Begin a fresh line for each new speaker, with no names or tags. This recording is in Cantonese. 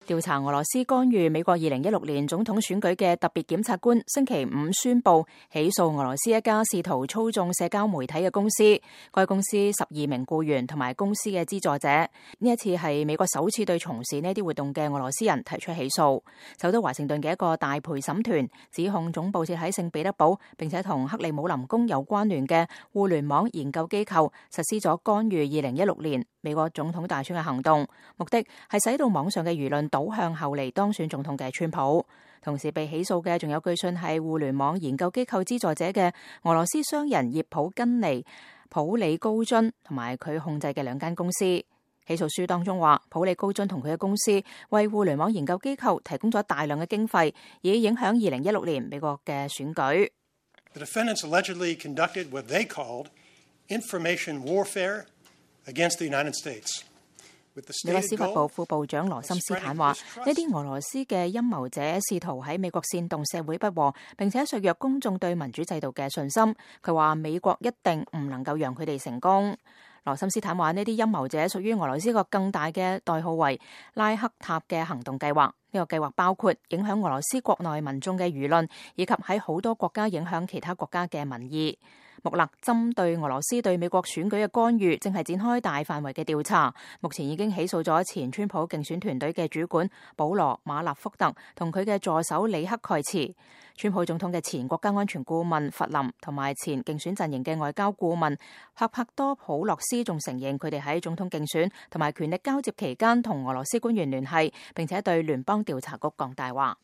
調查俄羅斯干預美國2016年總統選舉嘅特別檢察官星期五宣布起訴俄羅斯一家試圖操縱社交媒體嘅公司，該公司12名僱員同埋公司嘅資助者。呢一次係美國首次對從事呢啲活動嘅俄羅斯人提出起訴。首都華盛頓嘅一個大陪審團指控總部設喺聖彼得堡並且同克里姆林宮有關聯嘅互聯網研究機構實施咗干預2016年美國總統大選嘅行動，目的係使到網上嘅輿論倒向後嚟當選總統嘅川普。同時被起訴嘅仲有據信係互聯網研究機構資助者嘅俄羅斯商人葉普根尼、普里高津同埋佢控制嘅2間公司。起訴書當中話，普里高津同佢嘅公司為互聯網研究機構提供咗大量嘅經費，以影響2016年美國嘅選舉。
The defendants allegedly conducted what they called information warfare against the United States.
美國司法部副部長羅森斯坦話，呢啲俄羅斯嘅陰謀者試圖喺美國煽動社會不和，並且削弱公眾對民主制度嘅信心。佢話美國一定唔能夠讓佢哋成功。羅森斯坦話，呢啲陰謀者屬於俄羅斯一個更大嘅代號為拉克塔嘅行動計劃。呢個計劃包括影響俄羅斯國內民眾嘅輿論，以及喺好多國家影響其他國家嘅民意。穆勒針對俄羅斯對美國選舉嘅干預，正係展開大範圍嘅調查。目前已經起訴咗前川普競選團隊嘅主管保羅馬納福特同佢嘅助手里克蓋茨。川普總統嘅前國家安全顧問弗林同埋前競選陣營嘅外交顧問帕多普洛斯仲承認佢哋喺總統競選同埋權力交接期間同俄羅斯官員聯繫，並且對聯邦調查局講大話。